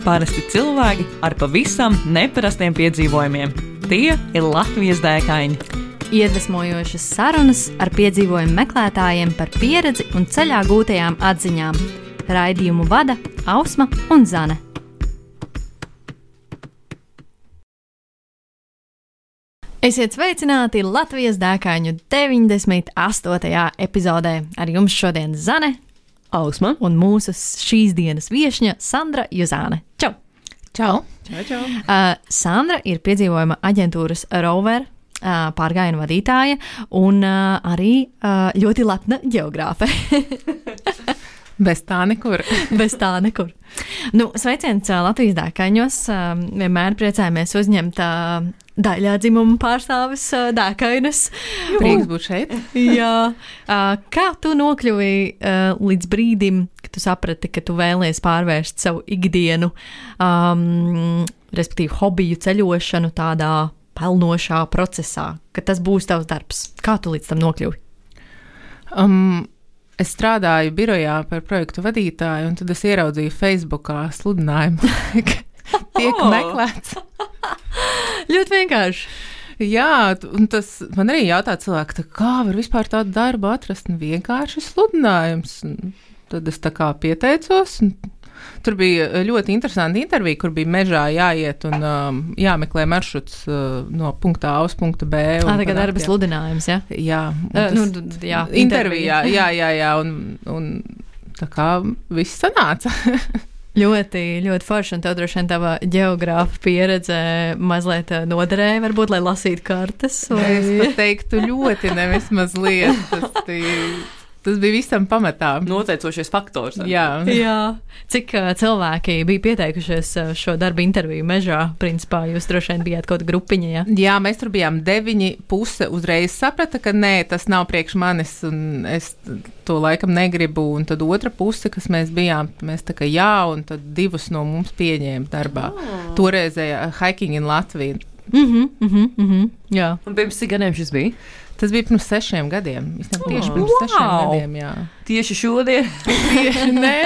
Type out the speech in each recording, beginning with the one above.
Parasti cilvēki ar pavisam neparastiem piedzīvojumiem. Tie ir Latvijas dēkaini. Iedvesmojošas sarunas ar piedzīvojumu meklētājiem par pieredzi un ceļā gūtajām atziņām. Raidījumu vada Ausma un Zane. Esiet sveicināti Latvijas dēkaiņu 98. epizodē. Ar jums šodien Zane, Ausma un mūsu šīs dienas viešņa Sandra Juzāne. Čau! Čau! Sandra ir piedzīvojuma aģentūras Rover pārgājienu vadītāja un arī ļoti lepna ģeogrāfe. Bez tā nekur. Bez tā nekur. Nu, sveiciens Latvijas dēkaiņos. Vienmēr priecājamies uzņemt daļā dzimumu pārstāvis dēkainus. Prieks būt šeit. Jā. Kā tu nokļuvi līdz brīdim, kad tu saprati, ka tu vēlies pārvērst savu ikdienu, respektīvi hobiju ceļošanu tādā pelnošā procesā, ka tas būs tavs darbs? Kā tu līdz tam nokļuvi? Es strādāju birojā par projektu vadītāju, un tad es ieraudzīju Facebookā sludinājumu, ka tiek meklēts. Ļoti vienkārši. Jā, un tas man arī jautā cilvēki, kā var vispār tādu darbu atrast? Vienkārši sludinājums. Un tad es tā kā pieteicos, un tur bija ļoti interesanti intervija, kur bija mežā jāiet un jāmeklē maršruts no punkta A uz punktu B. Tagad darba sludinājums, ja? Jā. Jā, intervijā, jā, un tā kā viss sanāca. Ļoti, ļoti forši, un tev droši vien tava ģeogrāfa pieredze mazliet noderēja, varbūt, lai lasītu kartes. Vai? Es pat teiktu ļoti, nevis mazliet. Tas bija visam pamatā. Noteicošies faktors. Jā. Cik cilvēki bija pieteikušies šo darbu interviju mežā? Principā jūs droši vien bijāt kaut grupiņa, ja? Jā, mēs tur bijām 9. Puse uzreiz saprata, ka nē, tas nav priekš manis, un es to laikam negribu. Un tad otra puse, kas mēs bijām, mēs tā kā jā, un tad 2 no mums pieņēma darbā. Toreizējā Hiking in Latviju. Jā. Un pirms cik gadiem šis bija? Tas bija pirms 6 gadiem. Tieši pirms 6 gadiem, jā. Tieši šodien? Nē,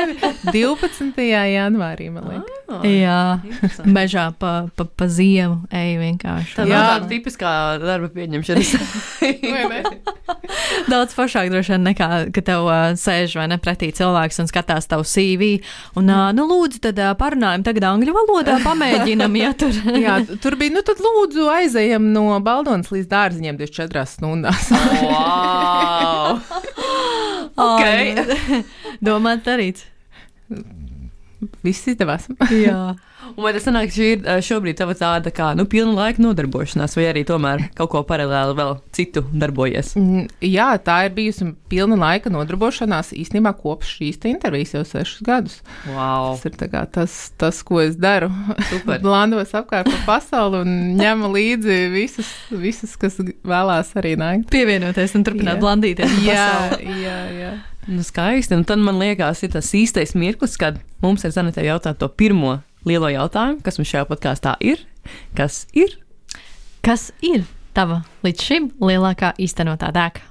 12. janvārī, man liekas. Jā, mežā pa ziemu eju vienkārši. Tā nav tāda tipiskā darba pieņemšanas. Daudz foršāk droši vien nekā, ka tev sēž vai ne pretī cilvēks un skatās tavu CV. Un, nu lūdzu, tad parunājam tagad angļu valodā, pamēģinam, ja tur. Jā, tur bija, nu tad lūdzu aizejam no Baldonas līdz Dārziņiem 24 stundās. Wow! Ok. Domāt darīts. Viss izdevās. Jā. Un vai tas sanāk, ka šī ir šobrīd tava tāda kā, pilna laika nodarbošanās, vai arī tomēr kaut ko paralēli vēl citu darbojies? Jā, tā ir bijusi pilna laika nodarbošanās īstenībā kopš šīs te intervijas jau 6 gadus. Wow. Tas ir tā kā tas, ko es daru. Super. Blandos apkārt pa pasauli un ņemu līdzi visus, kas vēlās arī nākt. Pievienoties un turpināt blandīties. Jā. Nu, skaisti. Un tad man liekas, ir tas īstais mirklis, kad mums ir Zanetē jautāt to pirmo lielo jautājumu, kas mums šajā podkāstā ir. Kas ir? Kas ir tava līdz šim lielākā īstenotā dēka?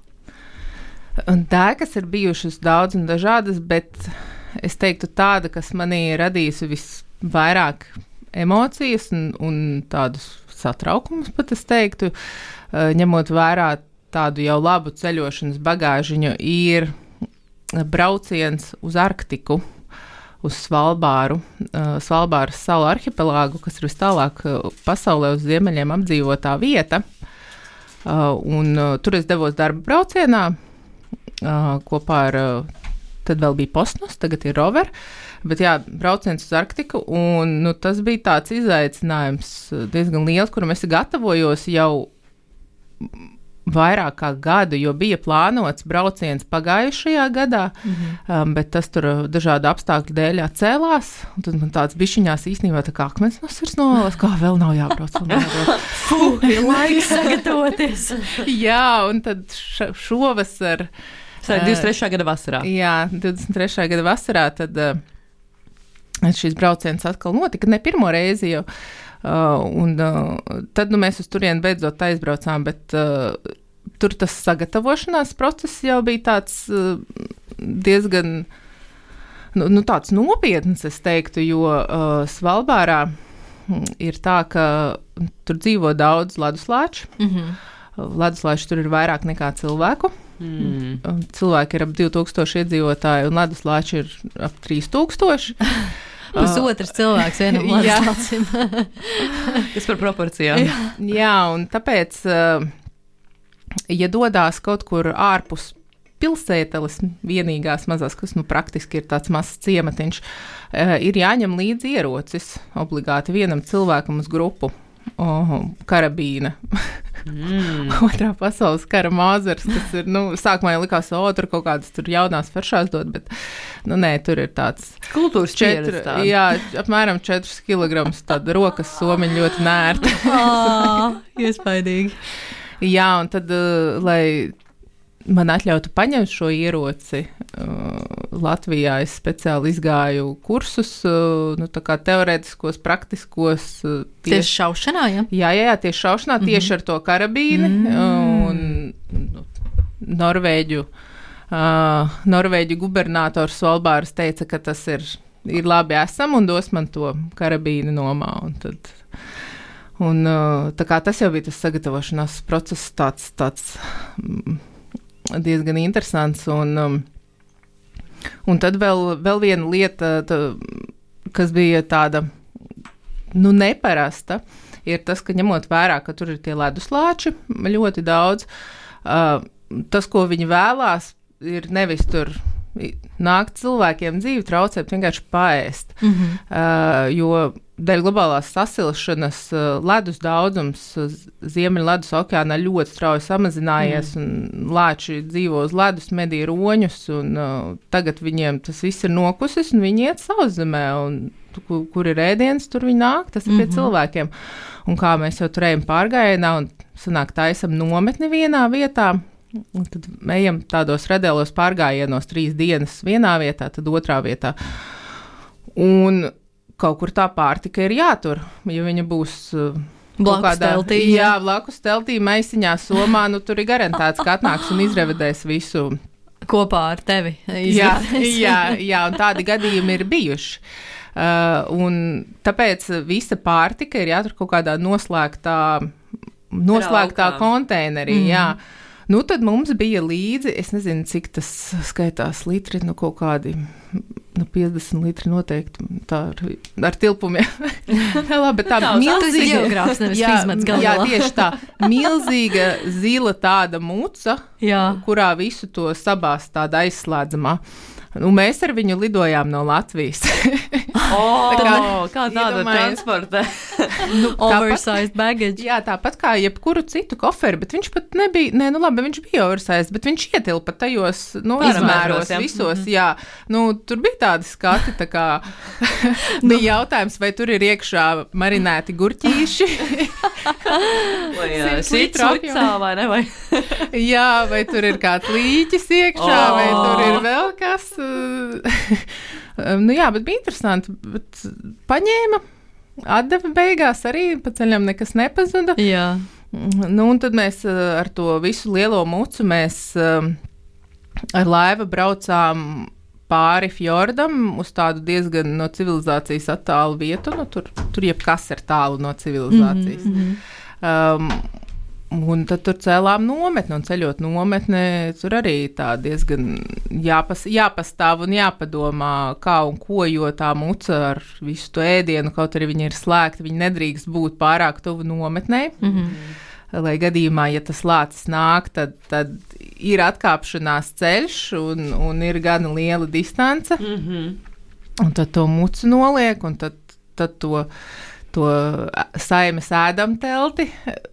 Dēkas ir bijušas daudz un dažādas, bet es teiktu tāda, kas manī radījusi visvairāk emocijas un tādus satraukumus, pat es teiktu, ņemot vērā tādu jau labu ceļošanas bagāžiņu, ir brauciens uz Arktiku, uz Svalbāru, Svalbāras salu arhipelāgu, kas ir vis tālāk pasaulē uz ziemeļiem apdzīvotā vieta. Tur es devos darba braucienā kopā ar, tad vēl bija Postnos, tagad ir Rover, bet jā, brauciens uz Arktiku, un tas bija tāds izaicinājums diezgan liels, kuram es gatavojos jau vairāk kā gadu, jo bija plānots brauciens pagājušajā gadā, bet tas tur dažādu apstākļu dēļ atcēlās, un tad man tāds bišķiņās īstenībā tā kā akmens no sirds novēlas, kā vēl nav jābrauc. Ir laiks sagatavoties. Jā, un tad šovasar. 23. gada vasarā. Jā, 23. gada vasarā tad šis brauciens atkal notika, ne pirmo reizi jau. Tad mēs uz turieni beidzot aizbraucām, bet tur tas sagatavošanās process jau bija tāds diezgan tāds nopietns, es teiktu, jo Svalbārā ir tā, ka tur dzīvo daudz leduslāču. Leduslāči tur ir vairāk nekā cilvēku. Cilvēki ir ap 2000 iedzīvotāji, un leduslāči ir ap 3000. Pusotrs cilvēks vienam leduslācim. Kas par proporcijām? Jā, un tāpēc, ja dodās kaut kur ārpus pilsēteles vienīgās mazās, kas praktiski ir tāds mazs ciematiņš, ir jāņem līdzi ierocis obligāti vienam cilvēkam uz grupu. Karabīna. Otrā pasaules kara māzars, kas ir, sākumā jau likās, tur kaut kādas tur jaunās faršās dod, bet, nē, tur ir tāds kultūras pieredze tāda. Jā, apmēram 4 kilograms tāda rokas somiņa ļoti nērta. Iespaidīgi. Jā, un tad, lai man atļautu paņemt šo ieroci, Latvijā es speciāli izgāju kursus, tā kā teorētiskos, praktiskos. Tieši šaušanā, ja? Jā, tieši šaušanā, tieši ar to karabīni, un Norvēģu gubernators Svalbāras teica, ka tas ir labi esam, un dos man to karabīni nomā, un tā kā tas jau bija tas sagatavošanās process tāds diezgan interesants, un tad vēl viena lieta, kas bija tāda, neparasta, ir tas, ka ņemot vērā, ka tur ir tie leduslāči ļoti daudz, tas, ko viņi vēlās, ir nevis tur nākt cilvēkiem dzīvi traucēt, vienkārši paēst, jo dēļ globālās sasilšanas ledus daudzums Ziemeļledus okeānā ļoti strauji samazinājies, un lāči dzīvo uz ledus, medī roņus, un tagad viņiem tas viss ir nokusis, un viņi iet sauszemē, un kur ir ēdiens, tur viņi nāk, tas ir pie cilvēkiem. Un kā mēs jau turējam pārgājienā, un sanāk taisam nometni vienā vietā, un tad ejam tādos radēlos pārgājienos 3 dienas vienā vietā, tad otrā vietā. Un kaut kur tā pārtika ir jātur, ja viņa būs blakus teltī. Jā, blakus teltī, maisiņā, somā, tur ir garantēts, ka atnāks un izrevedēs visu. Kopā ar tevi. Jā, un tādi gadījumi ir bijuši. Un tāpēc visa pārtika ir jātur kaut kādā noslēgtā konteinerī, jā. Tad mums bija līdzi, es nezinu, cik tas skaitās litri, kaut kādi 50 litri noteikti, tā ar tilpumiem. Labi, tā milzīga geogrāfs, nevis fizmats galvā. Jā, tieši tā, milzīga zila tāda muca, kurā visu to sabāst tāda aizslēdzamā. Mēs ar viņu lidojām no Latvijas. Kā tāda transporta? Oversized baggage. Jā, tāpat kā jebkuru citu koferi, bet viņš pat nebija, viņš bija oversized, bet viņš ietilpa tajos, izmēros visos, jā. Tur bija tādi skati, tā kā bija jautājums, vai tur ir iekšā marinēti gurķīši. Vai sīcā, vai ne? Vai? Jā, vai tur ir kāds līķis iekšā, vai tur ir vēl kas. Jā, bet bija interesanti. Bet paņēma, atdeva beigās arī, pa ceļam nekas nepazuda. Jā. Un tad mēs ar to visu lielo mucu mēs ar laivu braucām pāri fjordam uz tādu diezgan no civilizācijas attālu vietu. Tur jebkas ir tālu no civilizācijas. Un tad tur cēlām nometni, un ceļot nometni, tur arī tā diezgan jāpastāv un jāpadomā, kā un ko, jo tā muca ar visu to ēdienu, kaut arī viņi ir slēgti, viņi nedrīkst būt pārāk tuvu nometnei. Lai gadījumā, ja tas lācis nāk, tad ir atkāpšanās ceļš un ir gana liela distance. Un tad to mucu noliek, un tad to saimes ēdam telti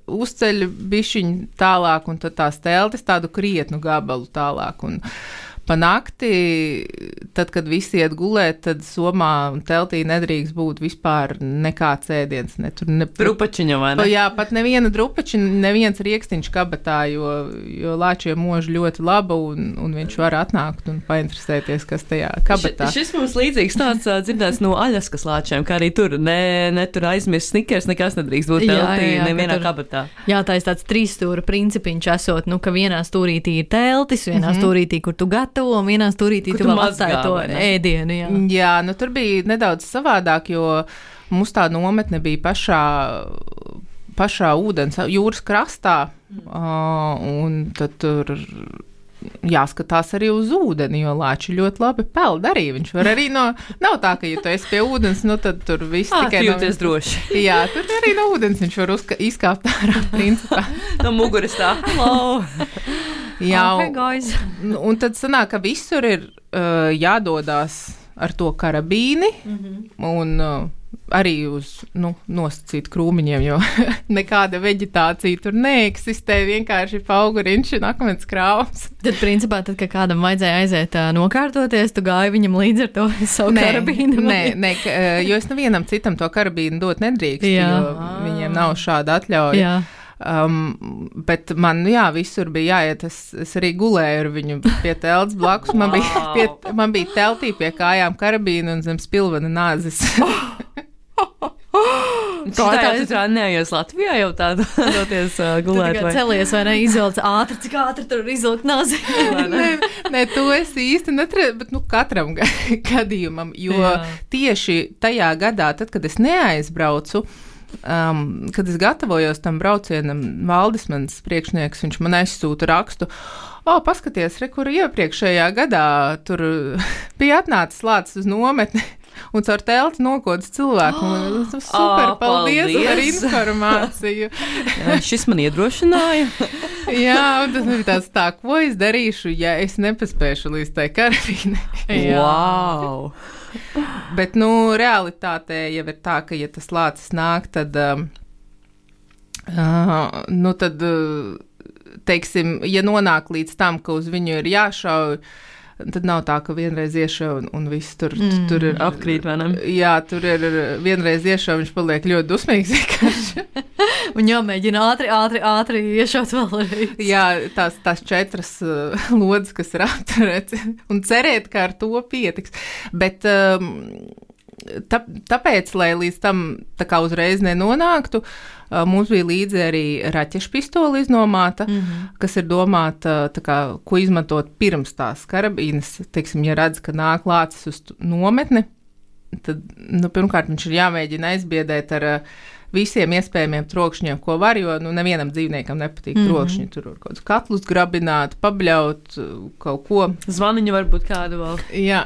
uzceļ bišķiņu tālāk, un tad tās teltis tādu krietnu gabalu tālāk. Un pa nakti, tad, kad visi iet gulēt, tad somā un teltī nedrīkst būt vispār nekāds ēdiens. Drupačiņa, vai ne? Jā, pat neviena drupačiņa, neviens riekstiņš kabatā, jo lāčiem mož ļoti laba, un viņš var atnākt un painteresēties, kas tajā kabatā. Šis mums līdzīgs tāds dzirdēts no Aļaskas lāčiem, kā arī tur tur aizmirst snikers, nekas nedrīkst būt teltī, nevienā kabatā. Jā, tā ir tāds 3 stūra principiņš esot, ka vienā stūrītī ir teltis, vienā stūrītī, kur tu gatavo skatu un vienā stūrītī Kur tu tu vēl mazgā, atstāji to vai ne? ēdienu. Jā. Jā, nu tur bija nedaudz savādāk, jo mums tā nometne bija pašā ūdens, jūras krastā, un tad tur jāskatās arī uz ūdeni, jo lāči ļoti labi peld arī. Viņš var arī nav tā, ka, ja tu esi pie ūdens, nu tad tur viss tikai Jūties droši. Jā, tur arī no ūdens viņš var izkāpt ārā, principā. No muguras tā. Hello! Jā, Okay, guys. un tad sanāk, ka visur ir jādodās ar to karabīni, un arī uz nosacītu krūmiņiem, jo nekāda veģetācija tur neeksistē, vienkārši pauguriņš un akmens krāvums. Tad, principā, kad kādam vajadzēja aiziet nokārtoties, tu gāji viņam līdzi ar to savu karabīnu? Nē, jo es nevienam citam to karabīnu dot nedrīkstu, jo viņiem nav šāda atļauja. Jā. Bet man, visur bija jāiet, es arī gulēju ar viņu pie telts blakus, man bija teltī pie kājām karabīna un zem spilvena nāzes. Tā jau neaies Latvijā jau tādu doties gulēt. Vai celies vai ne, izvilc ātri, cik ātri tur izvilkt nazi. Nē, to es īsti netrēju, bet katram gadījumam, jo tieši tajā gadā, tad, kad es neaizbraucu, kad es gatavojos tam braucienam, Valdis, mans priekšnieks, viņš man aizsūta rakstu, paskaties, kur iepriekšējā gadā tur bija atnācis lācis uz nometni, un caur telti nokodas cilvēku. Super, paldies par informāciju. Šis man iedrošināja. Jā, un tas bija tā, ko es darīšu, ja es nepaspēšu līdz tai karabīnei. Wow! Bet, realitātē jau ir tā, ka, ja tas lācis nāk, tad, teiksim, ja nonāk līdz tam, ka uz viņu ir jāšauj, tad nav tā, ka vienreiz iešauj un viss tur ir apkrīt, vai ne? Jā, tur ir vienreiz iešauj, viņš paliek ļoti dusmīgs vienkārši. Un jāmēģina ātri iešaut vēlreiz. Jā, tās 4 lodes, kas ir apturēts, un cerēt, ka ar to pietiks. Bet tāpēc, lai līdz tam tā kā uzreiz nenonāktu, mums bija līdzi arī raķešu pistoli iznomāta, kas ir domāta, tā kā, ko izmantot pirms tās karabīnas. Teiksim, ja redz, ka nāk lācis uz nometni, tad, pirmkārt, viņš ir jāmēģina aizbiedēt ar visiem iespējamiem trokšņiem, ko var, jo nevienam dzīvniekam nepatīk trokšņi. Tur var kaut kādus katlus grabināt, pabļaut, kaut ko. Zvaniņu varbūt kādu vēl. Jā,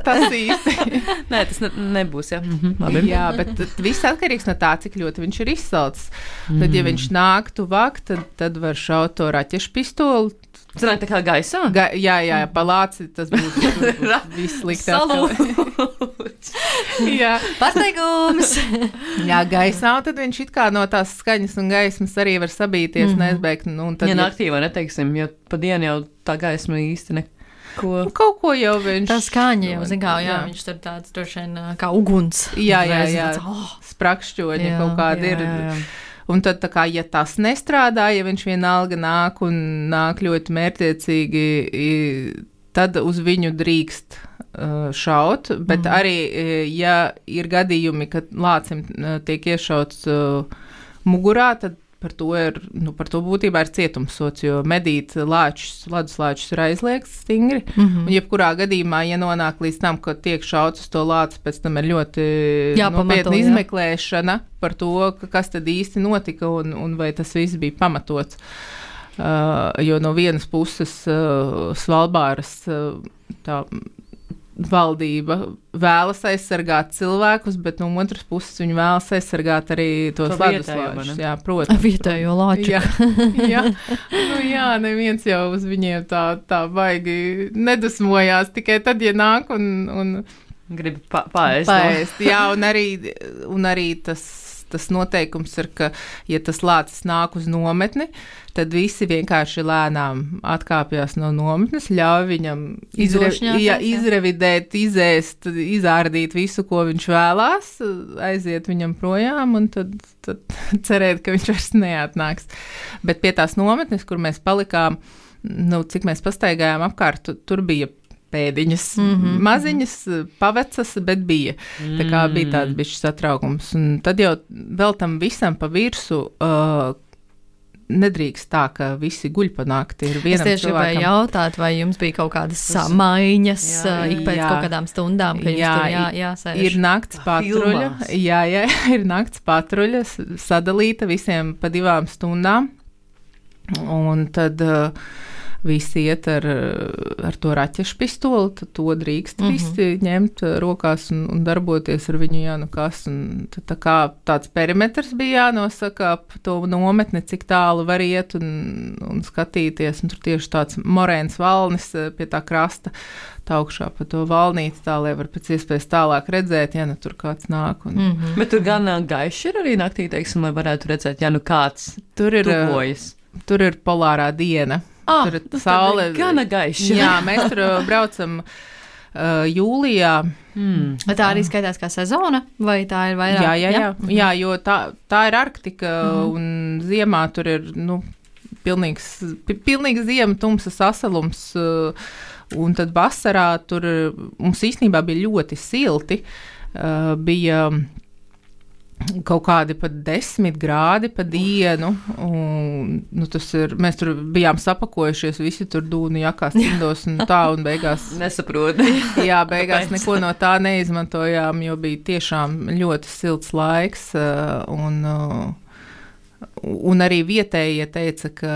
tas īsti. Nē, tas nebūs, jā. Labi. Jā, bet viss atkarīgs no tā, cik ļoti viņš ir izsalcis. Tad, ja viņš nāk tuvāk, tad var šaut to raķešu pistoli. Sanāk tā kā gaisā? Jā, pa lāci tas būs viss sliktāk. Jā. Pārsteigums! Jā, gaisā, un tad viņš it kā no tās skaņas un gaismas arī var sabīties, neizbeigt. Ja naktī vai neteiksim, jo pa dienu jau tā gaisma īsti Kaut ko jau viņš... Tā skaņa jau, jā, viņš tur tāds droši vien kā uguns. Jā, sprakšķoņi kaut kādi ir. Un tad, tā kā, ja tas nestrādā, ja viņš vienalga nāk ļoti mērķtiecīgi, tad uz viņu drīkst šaut, bet arī, ja ir gadījumi, kad lācim tiek iešauts mugurā, tad par to būtībā ir cietumsots, jo medīt ledus lāčus ir aizliegts stingri. Un jebkurā gadījumā, ja nonāk līdz tam, ka tiek šauts uz to lāci, pēc tam ir ļoti nopietna izmeklēšana par to, kas tad īsti notika un vai tas viss bija pamatots. Jo no vienas puses Svalbāras tā valdība vēlas aizsargāt cilvēkus, bet no otras puses viņi vēlas aizsargāt arī tos ledus lāčus. Jā, protams. Vietējo lāču. Jā, neviens jau uz viņiem tā baigi nedusmojās, tikai tad, ja nāk un grib paēst. Jā, un arī tas noteikums ir, ka, ja tas lācis nāk uz nometni, tad visi vienkārši lēnām atkāpjas no nometnes, ļauj viņam izrevidēt, izēst, izārdīt visu, ko viņš vēlās, aiziet viņam projām un tad cerēt, ka viņš vairs neatnāks. Bet pie tās nometnes, kur mēs palikām, cik mēs pastaigājām apkārt, tur bija pēdiņas, maziņas, pavecas, bet bija. Tā kā bija tāds bišķi satraukums. Un tad jau vēl tam visam pa virsu nedrīkst tā, ka visi guļ pa nakti. Es tieši gribēju jautāt, vai jums bija kaut kādas samaiņas ik pēc kaut kādām stundām, ka jums tur jāsēž? Ir nakts patruļa. Jā, ir nakts patruļa sadalīta visiem pa 2 stundām. Un tad visi iet ar to raķešu pistoli, tad to drīkst visi ņemt rokās un darboties ar viņu, kas. Un tad tāds perimetrs bija jānosaka ap to nometni, cik tālu var iet un skatīties. Un tur tieši tāds morēns valnis pie tā krasta, tā augšā pa to valnīti, tā, lai var pēc iespējas tālāk redzēt, tur kāds nāk. Bet tur gan gaiši ir arī naktī, teiksim, lai varētu redzēt, kāds tuvojas. Tur ir polārā diena. Tur ir saule. Gana gaiši. Jā, mēs tur braucam jūlijā. Tā arī skaitās kā sezona, vai tā ir vairāk? Jā, jo tā ir Arktika, un ziemā tur ir, pilnīgs ziema, tumsa sasalums, un tad vasarā tur mums īstenībā bija ļoti silti, bija kaut kādi pat 10 grādi pa dienu, un mēs tur bijām sapakojušies, visi tur dūnu jakās, cindos un tā, un beigās nesaprotu. Jā, beigās neko no tā neizmantojām, jo bija tiešām ļoti silts laiks, un arī vietējie teica, ka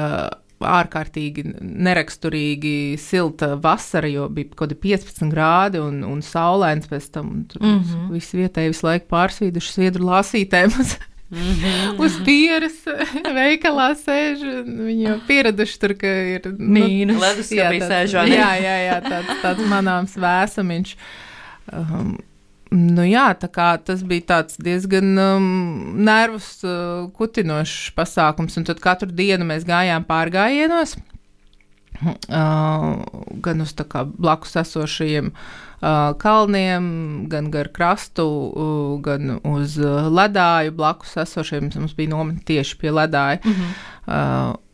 ārkārtīgi neraksturīgi silta vasara, jo bija kaut kādi 15 grādi un saulains pēc tam. Tur visi vietēji visu laiku pārsvīduši sviedru lāsītēm uz pieras veikalā sēž. Viņi jau pieraduši tur, ka ir mīnus. Leduskapī sēžā. Jā, tāds manāms vēsamiņš. Tā kā tas bija tāds diezgan nervus kutinošs pasākums, un tad katru dienu mēs gājām pārgājienos, gan uz tā kā blakus esošajiem kalniem, gan gar krastu, gan uz ledāju blakus esošajiem. Mums bija nometne tieši pie ledāja.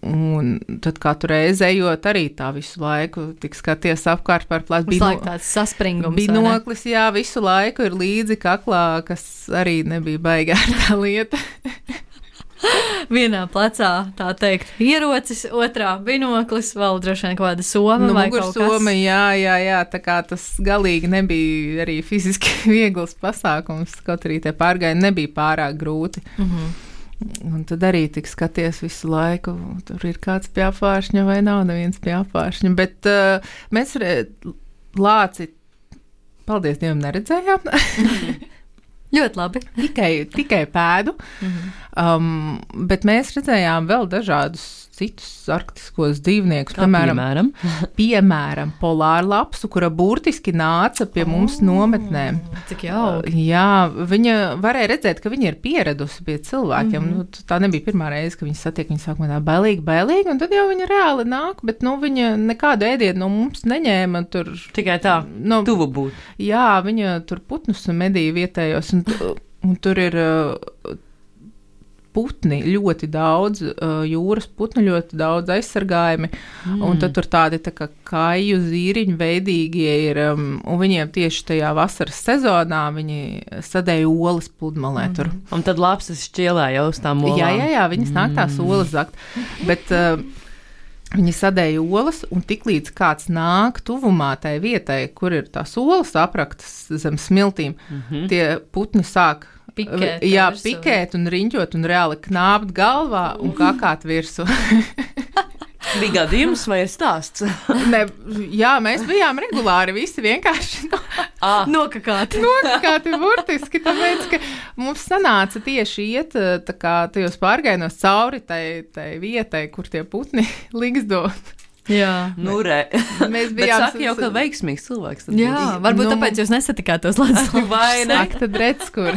Un tad katru reizi ejot arī tā visu laiku tik skaties apkārt par plācu. Visu laiku tāds saspringums. Binoklis, jā, visu laiku ir līdzi kaklā, kas arī nebija baigā tā lieta. Vienā plecā, tā teikt, ierocis, otrā binoklis, vēl droši vien kaut kāda soma vai kaut kas. Soma, jā, tā kā tas galīgi nebija arī fiziski viegls pasākums, kaut arī tie pārgājieni nebija pārāk grūti. Un tad arī tik skaties visu laiku, tur ir kāds pie apvāršņa vai nav neviens pie apvāršņa, bet mēs lāci, paldies Dievam, neredzējām. Ļoti labi. Tikai pēdu, bet mēs redzējām vēl dažādus citus arktiskos dzīvniekus, piemēram, polārlapsu, kura burtiski nāca pie mums nometnēm. Cik jauki. Jā, viņa varēja redzēt, ka viņa ir pieradusi pie cilvēkiem. Tā nebija pirmā reize, ka viņa satiek, viņa sākumā tā bailīgi, un tad jau viņa reāli nāk, bet viņa nekādu ēdienu no mums neņēma. Tur, tikai tā, tuvu būt. Jā, viņa tur putnus medīja vietējos, un tur ir putni ļoti daudz, jūras putni ļoti daudz aizsargājumi, un tad tur tādi tā kā kaju zīriņu veidīgie ir, un viņiem tieši tajā vasaras sezonā viņi sadēja olas pludmalē tur. Un tad lapsas šķielē jau uz tām olām. Jā, viņas nāk tās olas zakt, bet viņi sadēja olas, un tiklīdz kāds nāk tuvumā tai vietai, kur ir tās olas apraktas zem smiltīm, tie putni sāk pikēt un riņķot un reāli knāpt galvā un kakāt virsū. Bija gadījums vai ir stāsts? Jā, mēs bijām regulāri visi vienkārši nokakāti burtiski, tāpēc, ka mums sanāca tieši iet tā kā tajos pārgājienos cauri tai vietai, kur tie putni ligzdot. Jā, mēs bijām. Bet saka jau, ka veiksmīgs cilvēks. Jā, varbūt tāpēc jūs nesatikāt tos ladus. Vai ne? Ak, tad redz, kur.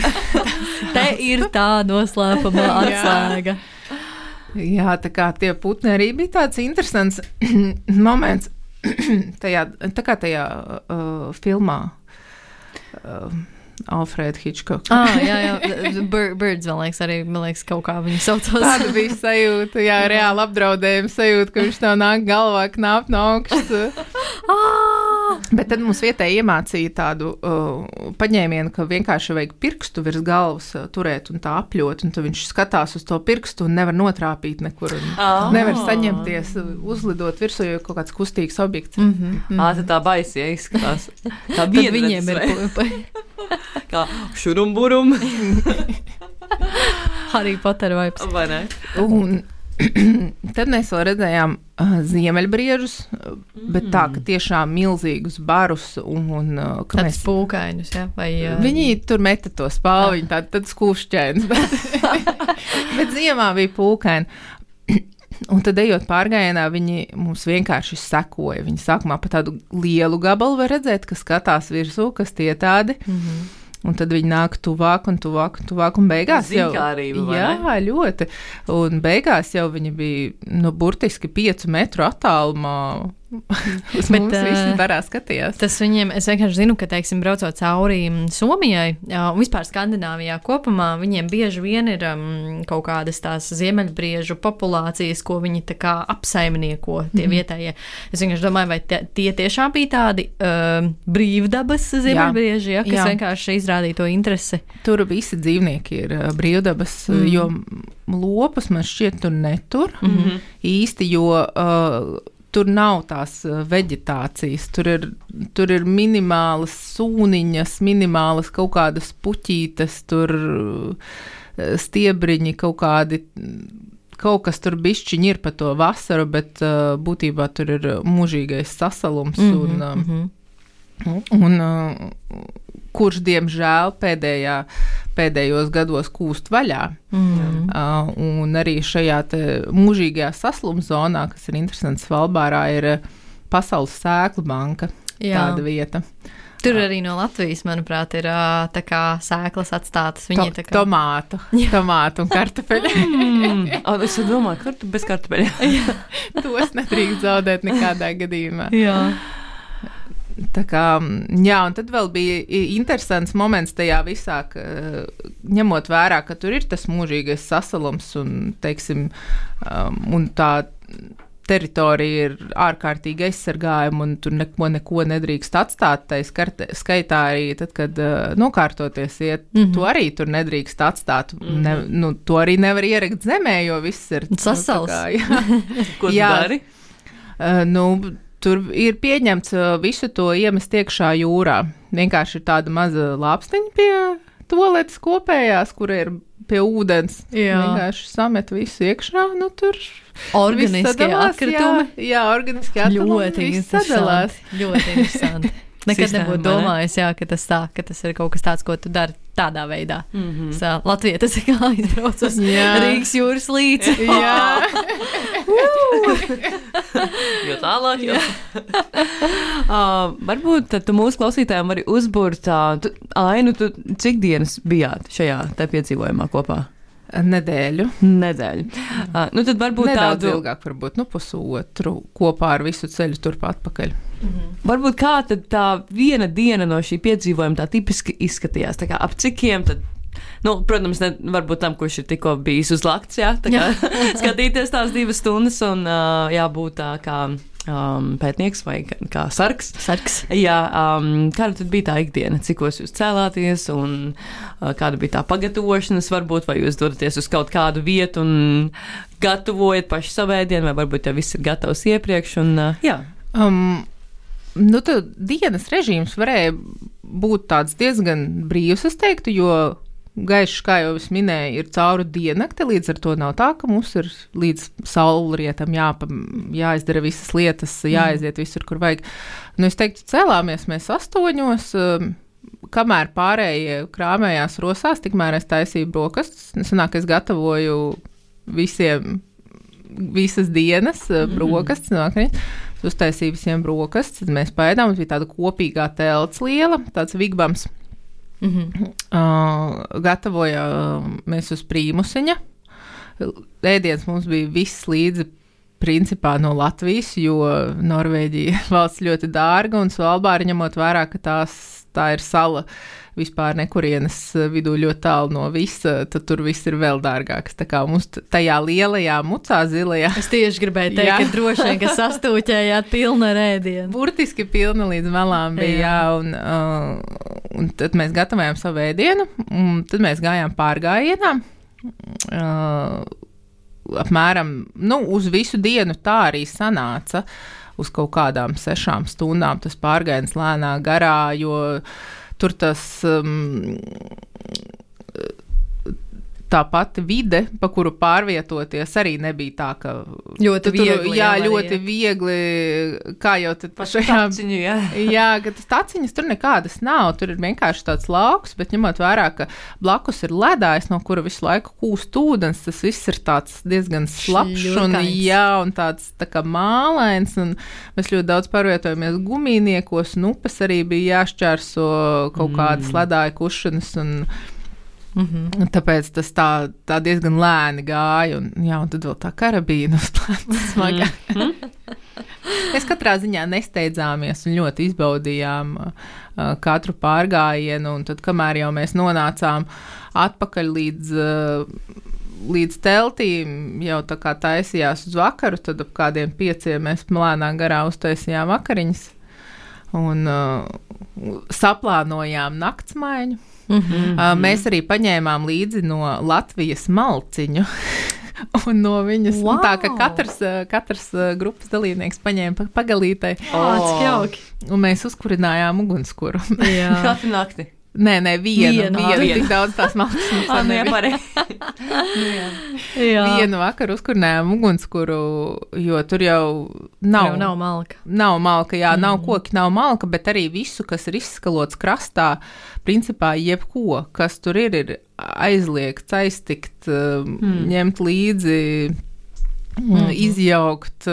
Te ir tā noslēpamā atslēga. Jā, tā kā tie putni arī bija tāds interesants moments tajā filmā. Alfreda Hitchcock. Jā. Birds, man liekas, kaut kā viņi saucās. Tāda bija sajūta, reāli apdraudējuma sajūta, ka viņš tev nāk galvā knāp no augšas. Bet tad mums vietēji iemācīja tādu paņēmienu, ka vienkārši vajag pirkstu virs galvas turēt un tā apļot, un tad viņš skatās uz to pirkstu un nevar notrāpīt nekur, un nevar saņemties, uzlidot virsū, jo kaut kāds kustīgs objekts. Tad tā baisi, ja izskatās. Tā Tad viņiem ir kā šurumburum. Harry Potter vibes. Vai ne? Un tad mēs vēl redzējām ziemeļbriežus, bet tā, ka tiešām milzīgus barus un ka Tāds mēs... pūkainus, ja? Vai, Viņi tur meta to spālu, viņi tad skūšķēns, bet ziemā bija pūkaini. Un tad, ejot pārgājienā, viņi mums vienkārši sekoja. Viņi sākumā pa tādu lielu gabalu var redzēt, ka skatās virsū, kas tie tādi. Un tad viņi nāk tuvāk un tuvāk un tuvāk, un beigās jau... Zinkārība, vai jā, ne? ļoti. Un beigās jau viņi bija, burtiski 5 metru attālumā. Uz mums visi barā skatījās. Tas viņiem, es vienkārši zinu, ka, teiksim, braucot cauri Somijai un vispār Skandināvijā kopumā, viņiem bieži vien ir kaut kādas tās ziemeļbriežu populācijas, ko viņi tā kā apsaimnieko tie vietējie. Es vienkārši domāju, vai tie tiešām bija tādi brīvdabas ziemeļbrieži, ja, kas vienkārši izrādīja to interesi. Tur visi dzīvnieki ir brīvdabas, jo lopus man šķiet tur netur īsti, jo... Tur nav tās veģetācijas, tur ir minimālas sūniņas, minimālas kaut kādas puķītes, tur stiebriņi kaut kas tur bišķiņi ir pa to vasaru, bet būtībā tur ir mūžīgais sasalums un kurš, diemžēl, pēdējos gados kūst vaļā. Un arī šajā te mūžīgajā sasluma zonā, kas ir interesants Svalbārā, ir Pasaules sēklu banka, tāda vieta. Tur arī no Latvijas, manuprāt, ir tā kā sēklas atstātas. Viņi Tomātu un kartupeļu. Es domāju, bez kartupeļa. Tos nedrīkst zaudēt nekādā gadījumā. Jā. Tā kā, jā, un tad vēl bija interesants moments tajā visā, ņemot vērā, ka tur ir tas mūžīgais sasalums un, teiksim, un tā teritorija ir ārkārtīgi aizsargājuma un tur neko nedrīkst atstāt. Tai skaitā arī tad, kad nokārtoties iet, to arī tur nedrīkst atstāt. To arī nevar ierakt zemē, jo viss ir sasals. Ko tu dari? Tur ir pieņemts visu to iemest iekšā jūrā. Vienkārši ir tāda maza lāpstiņa pie toaletes kopējās, kur ir pie ūdens. Vienkārši samet visu iekšā, tur organiskie atkritumi. Jā, organiskie atkritumi. Viss sadalās. Ļoti interesanti. Nekad nebūtu domājis, ka tas ir kaut kas tāds, ko tu dari tādā veidā. Latvija tas ir kā aizbrauc uz Rīgas jūras līci. Jā. Jo tālāk, jo. Varbūt tu mūsu klausītājiem vari uzburt Ainu, tu cik dienas bijāt šajā te piedzīvojumā kopā? Nedēļu. Tad varbūt nedaudz ilgāk, varbūt pusotru kopā ar visu ceļu turp atpakaļ. Varbūt kā tad tā viena diena no šī piedzīvojuma tā tipiski izskatījās, tā kā ap cikiem tad, protams, varbūt tam, kurš ir tikko bijis uz lakts, tā kā skatīties tās 2 stundas un jābūt tā kā pētnieks vai kā sargs. Jā, kāda tad bija tā ikdiena? Cikos jūs cēlāties un kāda bija tā pagatavošanas varbūt, vai jūs dodaties uz kaut kādu vietu un gatavojat paši savēdienu, vai varbūt jau viss ir gatavs iepriekš un jā. Tad dienas režīms varēja būt tāds diezgan brīvs, es teiktu, jo gaišs, kā jau es minēju, ir cauri diennakti, līdz ar to nav tā, ka mums ir līdz saulrietam jāizdara visas lietas, jāaiziet visur, kur vajag. Es teiktu, cēlāmies mēs 8, kamēr pārējie krāmējās rosās, tikmēr es taisīju brokastus. Sanāk, es gatavoju visas dienas brokastus, uztaisīju visiem brokastus, tad mēs paēdām, mums bija tāda kopīgā telts liela, tāds vigbams. Gatavojāmies uz prīmusiņa. Ēdiens mums bija viss līdzi principā no Latvijas, jo Norvēģija valsts ļoti dārga un Svalbāra ņemot vērā, ka tās tā ir sala vispār nekurienes vidū ļoti tālu no visa, tad tur viss ir vēl dārgāks. Tā kā mums tajā lielajā mucā zilajā. Es tieši gribēju teikt, ka droši vien, ka sastūķējāt pilna rēdienu. Burtiski pilna līdz malām bija, un tad mēs gatavojām savu ēdienu, un tad mēs gājām pārgājienā. Apmēram, uz visu dienu tā arī sanāca uz kaut kādām 6 stundām tas pārgājiens lēnā garā, jo tur tas tā pati vide, pa kuru pārvietoties, arī nebija tā, ka ļoti viegli. Ļoti viegli, kā jau tad taciņu, jā, ka tas taciņas tur nekādas nav, tur ir vienkārši tāds lauks, bet ņemot vērā, ka blakus ir ledājs, no kura visu laiku kūst ūdens, tas viss ir tāds diezgan slapšs un tāds tā kā mālains, un mēs ļoti daudz pārvietojamies gumijniekos, un upes arī bija jāšķērso kaut kādas ledāja kušanas, un tāpēc tas tā diezgan lēni gāja, un tad vēl tā karabīna uz plāca smagā. Mēs katrā ziņā nesteidzāmies un ļoti izbaudījām katru pārgājienu, un tad, kamēr jau mēs nonācām atpakaļ līdz teltīm, jau tā kā taisījās uz vakaru, tad ap kādiem 5 mēs lēnā garā uztaisījām vakariņas un saplānojām naktsmaiņu. Mēs arī paņēmām līdzi no Latvijas malciņu un no viņas, tā ka katrs grupas dalībnieks paņēma pagalītei. Cik jauki. Un mēs uzkurinājām ugunskura. Katru nakti. Nē, vienu. Tik daudz tās malciņas. Vienu vakaru uzkurinājām ugunskuru, jo tur jau nav malka. Nav malka, nav koki, nav malka, bet arī visu, kas ir izskalots krastā, principā jebko, kas tur ir aizliegts, aiztikt, ņemt līdzi, izjaukt.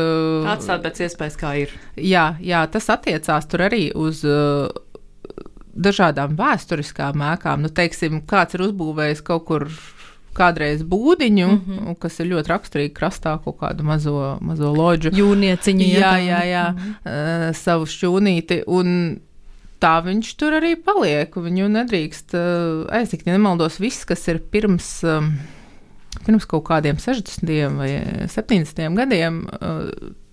Atstāt pēc iespējas, kā ir. Jā, tas attiecās tur arī uz dažādām vēsturiskām ēkām. Teiksim, kāds ir uzbūvējis kaut kur kādreiz būdiņu, kas ir ļoti raksturīgi krastā, kaut kādu mazo lodžu. Jūrnieciņu. Jā, savu šķūnīti, un tā viņš tur arī paliek, viņu nedrīkst aiztikt, ja nemaldos viss, kas ir pirms kaut kādiem 60. vai 70. gadiem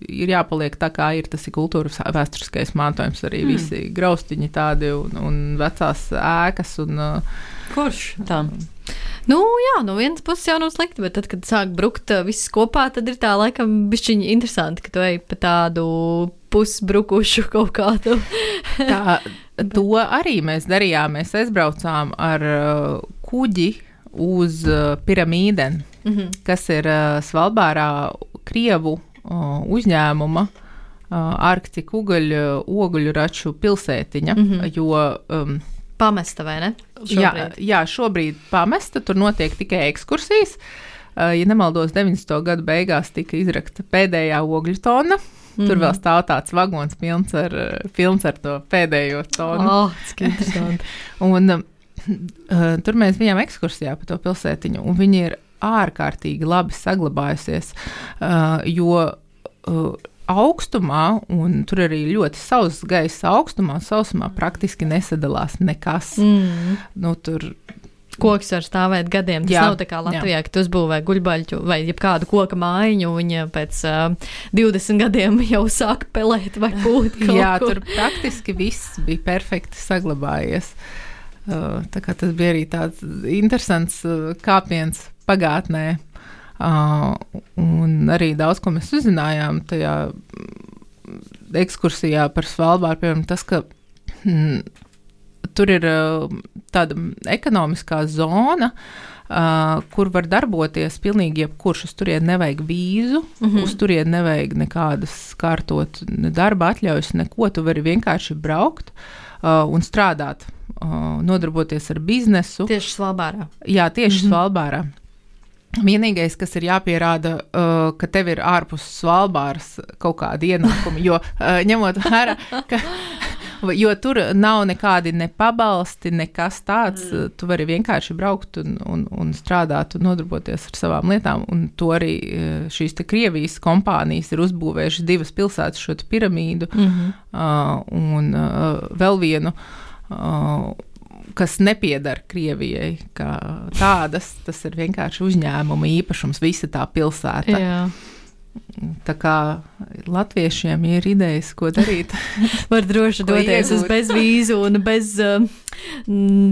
ir jāpaliek tā, kā ir. Tas ir kultūras vēsturiskais mantojums, arī visi graustiņi tādi un vecās ēkas. Kurš tā? No vienas puses jau nav slikti, bet tad, kad sāk brukt viss kopā, tad ir tā laikam bišķiņi interesanti, ka tu ej pa tādu pusbrukušu kaut kādu. To arī mēs darījām. Mēs aizbraucām ar kuģi uz Piramīdeni, kas ir Svalbārā Krievu uzņēmuma Arktika oguļraču pilsētiņa, jo pamesta, vai ne? Šobrīd. Jā, šobrīd pamesta, tur notiek tikai ekskursijas. Ja nemaldos, 90. gadu beigās tika izrakta pēdējā ogļu tona. Tur vēl stāv tāds vagons pilns ar to pēdējo tonu. Cik interesanti. Un tur mēs bijām ekskursijā pa to pilsētiņu, un viņi ir ārkārtīgi labi saglabājusies, jo augstumā, un tur arī ļoti sauss gaiss augstumā, sausumā praktiski nesadalās nekas. Tur koks var stāvēt gadiem. Tas nav tā kā Latvijā, ka tu uzbūvē guļbaļķu vai jebkādu koka mājiņu, viņa pēc 20 gadiem jau sāk pelēt vai pūt kaut ko. Tur praktiski viss bija perfekti saglabājies. Tā kā tas bija arī tāds interesants kāpiens pagātnē. Un arī daudz, ko mēs uzzinājām tajā ekskursijā par Svalbāru, piemēram, tas, ka tur ir tāda ekonomiskā zona, kur var darboties pilnīgi jebkurš. Uz turieni nevajag vīzu, uz turieni nevajag nekādas kārtot darba atļaujas, neko. Tu vari vienkārši braukt un strādāt, nodarboties ar biznesu. Tieši Svalbārā. Jā, tieši Svalbārā. Vienīgais, kas ir jāpierāda, ka tev ir ārpus Svalbāras kaut kādi ienākumi, jo ņemot vērā, jo tur nav nekādi ne pabalsti, nekas tāds, tu vari vienkārši braukt un strādāt un nodarboties ar savām lietām, un to arī šīs te Krievijas kompānijas ir uzbūvējušas 2 pilsētas, šo Piramīdu, un vēl vienu kas nepiedara Krievijai, kā tādas, tas ir vienkārši uzņēmuma īpašums, visa tā pilsēta. Jā. Tā kā latviešiem ir idejas, ko darīt. Var droši doties uz bezvīzu un bez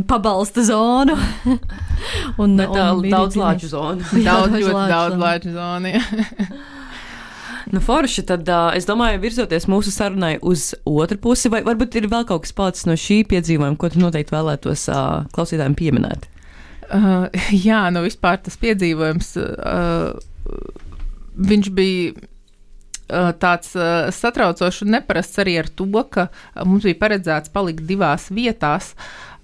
pabalsta zonu. un daudz lāču zonu. Daudz lāču zonu, jā. Nu, forši, tad es domāju, virzoties mūsu sarunai uz otru pusi, vai varbūt ir vēl kaut kas palicis no šī piedzīvojuma, ko tu noteikti vēlētos klausītājiem pieminēt? Jā, nu vispār tas piedzīvojums, viņš bija tāds satraucošs un neparasts arī ar to, ka mums bija paredzēts palikt 2 vietās,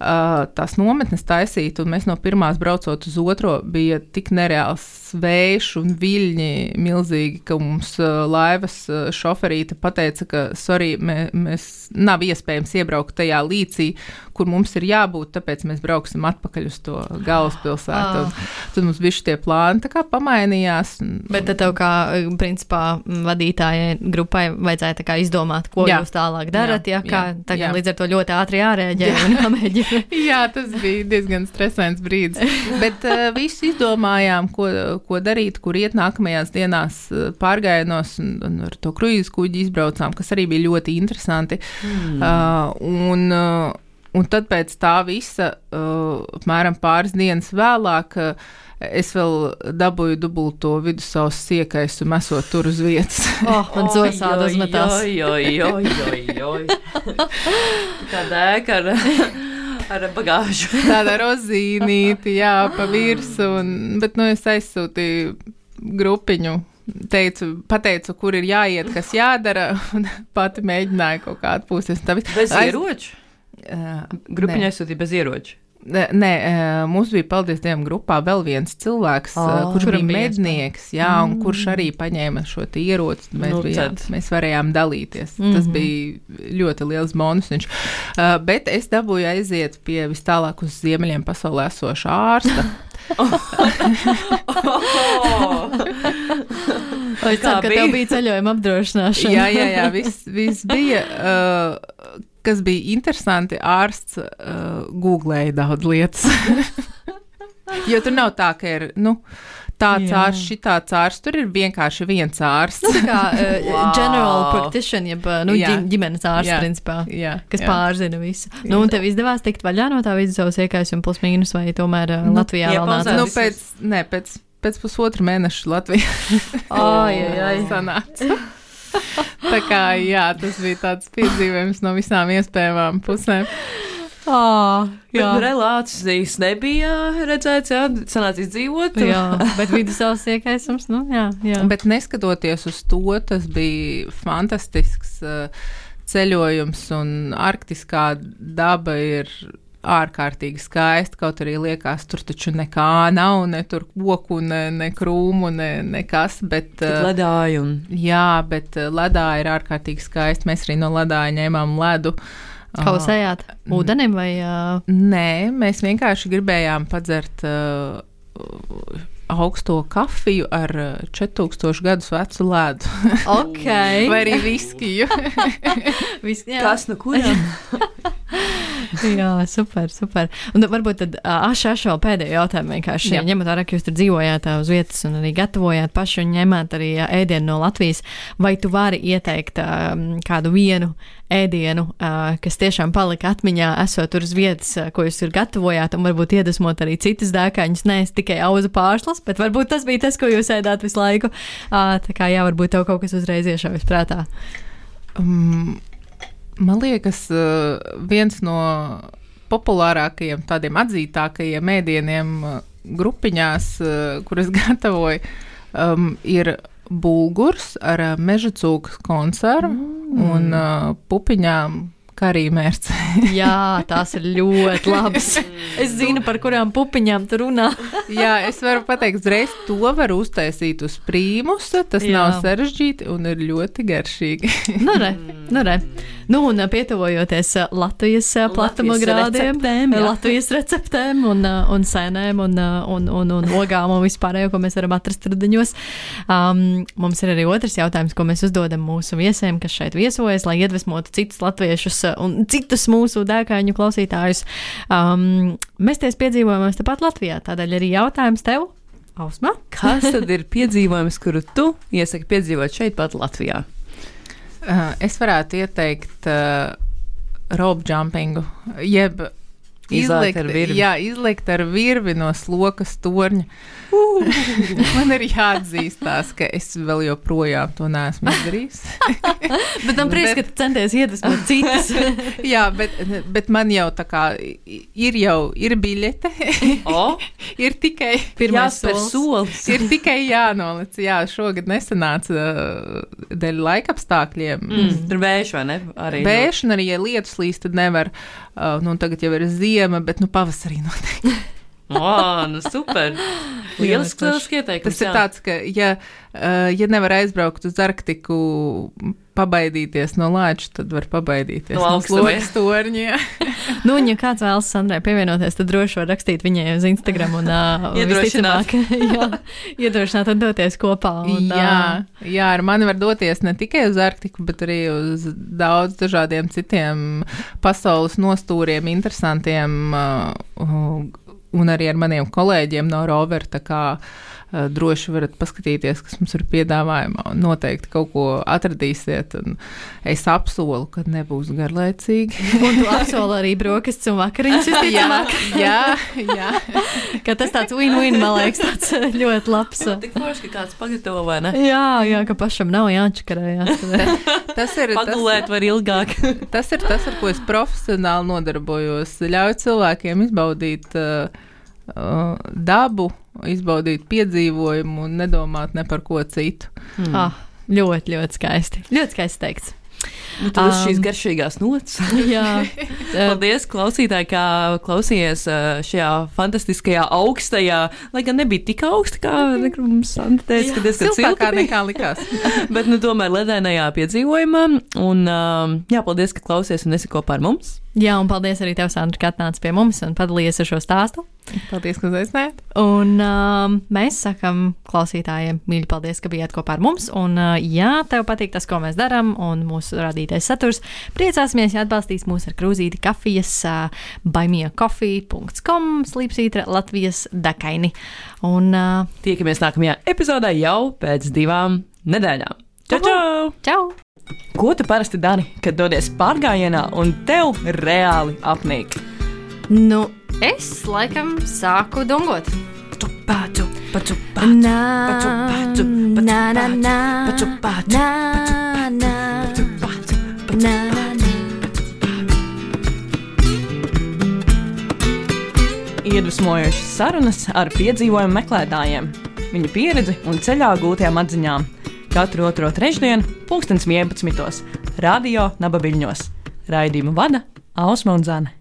tās nometnes taisīt, un mēs no pirmās braucot uz otro bija tik nereāls vējš un viļņi milzīgi, ka mums laivas šoferīte pateica, ka sorry, mēs nav iespējams iebraukt tajā līcī, kur mums ir jābūt, tāpēc mēs brauksim atpakaļ uz to galvaspilsētu. Tad mums bija šitie plāni, tā kā pamainījās. Bet tad tev kā, principā, vadītājai grupai vajadzēja tā kā izdomāt, ko jūs tālāk darat, tagad līdz ar to ļoti ātri jārēģē un jāmēģina. Jā, tas bija diezgan stresants brīdis, bet visu izdomājām, ko darīt, kur iet nākamajās dienās pārgājienos un ar to kruīzu kuģi izbraucām, kas arī bija ļoti interesanti. Un tad pēc tā visa, apmēram pāris dienas vēlāk, es vēl dabūju dubulto vidusausu siekaisu mesot tur uz vietas. Man zosāda uzmetās. Tāda ēka ar bagāžu. Tāda rozīnīti, jā, pa virsu, bet, es aizsūtīju grupiņu, pateicu, kur ir jāiet, kas jādara, un pati mēģināju kaut kā atpūsties. Bez ieroču? Grupiņa aizsūtīja bez ieroču? Nē, mums bija, paldies Dievam, grupā vēl viens cilvēks, kurš bija mednieks, un kurš arī paņēma šo ieroci. Mēs varējām dalīties. Tas bija ļoti liels bonus. Bet es dabūju aiziet pie vis tālāk uz ziemeļiem pasaulē esošā ārsta. Vai tā, ka tev bija ceļojuma apdrošināšana? Jā, viss bija. Kas bija interesanti, ārsts googlēja daudz lietas. Jo tur nav tā, ka ir, tāds ārsts, šitāds ārsts, tur ir vienkārši viens ārsts. Tā kā general practitioner, jeb ģimenes ārsts, principā, kas pārzina visu. Un tev izdevās tikt vaļā no tā vidusausu iekaisuma plus mīnus, vai tomēr Latvijā vēl nāca? Pēc pusotra mēneša Latvijā sanāca. Tā kā, tas bija tāds piedzīvojums no visām iespējamām pusēm. Relācijas nebija redzēts, sanāca izdzīvot. Bet vidusausu iekaisums, jā. Bet neskatoties uz to, tas bija fantastisks ceļojums, un arktiskā daba ir ārkārtīgi skaisti, kaut arī liekas, tur taču nekā nav, ne tur koku, ne krūmu, nekas, bet... Ledāji un... Jā, bet ledāji ir ārkārtīgi skaisti. Mēs arī no ledāja ņēmām ledu. Kausējāt ūdenim vai... Nē, mēs vienkārši gribējām padzert augsto kafiju ar 4000 gadus vecu ledu. Vai arī viskiju. Kas no kuriem? Jā, super. Un varbūt tad vēl pēdējo jautājumu vienkārši, ņemot vērā, ka jūs tur dzīvojāt uz vietas un arī gatavojāt paši un ņemāt arī ēdienu no Latvijas, vai tu vari ieteikt kādu vienu ēdienu, kas tiešām palika atmiņā, esot tur uz vietas, ko jūs tur gatavojāt, un varbūt iedvesmot arī citas dēkaņus, nevis tikai auzu pārslas, bet varbūt tas bija tas, ko jūs ēdāt visu laiku. Tā kā varbūt tev kaut kas uzreiz iešaujas prātā. Man liekas, viens no populārākajiem, tādiem atzītākajiem ēdieniem grupiņās, kuras gatavoju, ir bulgurs ar meža cūkas konservu un pupiņām karīmērci. Jā, tās ir ļoti labas. Es zinu, par kurām pupiņām tu runā. Jā, es varu pateikt, uzreiz to var uztaisīt uz prīmusa, tas nav sarežģīti un ir ļoti garšīgi. Nu, re. Nu, un pietuvojoties Latvijas platuma grādiem, Latvijas receptēm un sēnēm un ogām un vispārējo, ko mēs varam atrast rudeņos. Mums ir arī otrs jautājums, ko mēs uzdodam mūsu viesiem, kas šeit viesojas, lai iedvesmotu citus latviešus un citus mūsu dēkāņu klausītājus. Mesties piedzīvojumos tepat Latvijā, tādēļ arī jautājums tev, Ausma. Kas tad ir piedzīvojums, kuru tu iesaki piedzīvot šeit pat Latvijā? Es varētu ieteikt rope jumpingu, jeb izlikt ar virvi no slokas torņa. Man ir jāatzīstās, ka es vēl joprojām to neesmu izdarījis. Bet man prieks, ka tu centies iedvesmot citas. Jā, bet man jau tā kā ir biļete. Ir tikai jāspēr solis. Ir tikai jānolic. Jā, šogad nesanāca dēļ laikapstākļiem. Tur vējš, vai ne? Vējš, un arī, ja lietus līst, tad nevar. Tagad jau ir ziema, bet pavasarī noteikti. Nu super. Lielisks ieteikums. Tas ir tāds, ka ja nevar aizbraukt uz Arktiku pabaidīties no lāča, tad var pabaidīties no slokas torņa. Nu, un ja kāds vēlas Sandrai pievienoties, tad droši var rakstīt viņai uz Instagram un iedrošināt un doties kopā. Jā, ar mani var doties ne tikai uz Arktiku, bet arī uz daudz dažādiem citiem pasaules nostūriem, interesantiem un arī ar maniem kolēģiem no Rover, tā kā droši varat paskatīties, kas mums ir piedāvājumā, un noteikti kaut ko atradīsiet, un es apsolu, ka nebūs garlaicīgi. Un tu apsoli arī brokastis un vakariņas, jā. Ka tas tāds win-win, man liekas, tāds ļoti labs. Tik forši, ka kāds pagatavo, vai ne? Jā, ka pašam nav jāčakarējās. Pagulēt var ilgāk. Tas ir tas, ar ko es profesionāli nodarbojos. Ļauj cilvēkiem izbaudīt dabu, izbaudīt piedzīvojumu un nedomāt ne par ko citu. Ļoti, ļoti skaisti. Ļoti skaisti teikts. Tad uz šīs garšīgās nots. Jā. Paldies, klausītāji, kā klausījies šajā fantastiskajā augstajā, lai gan nebija tik augsta, kā mums Sandra teica, ka diezgan siltākā nekā likās. Bet, tomēr ledainajā piedzīvojumā. Un, paldies, ka klausies un esi kopā ar mums. Jā, un paldies arī tev, Sandra, ka atnāc pie mums un padalījies ar šo stāstu. Paldies, ka uzaicinājāt. Un mēs sakam klausītājiem mīļi paldies, ka bijāt kopā ar mums. Un ja tev patīk tas, ko mēs darām un mūsu radītais saturs, priecāsimies, ja atbalstīs mūs ar krūzīti kafijas buymeacoffee.com /Latvijas dekaini. Un tiekamies nākamajā epizodē jau pēc 2 nedēļām. Čau! Čau! Ko tu parasti dari, kad dodies pārgājienā un tev reāli apnīk? Es laikam sāku dungot. Iedvesmojošas sarunas ar piedzīvojumu meklētājiem, viņu pieredzi un ceļā gūtajām atziņām. Katru otro trešdienu, 11:00, Radio Nabaviļņos. Raidījumu vada Ausma un Zane.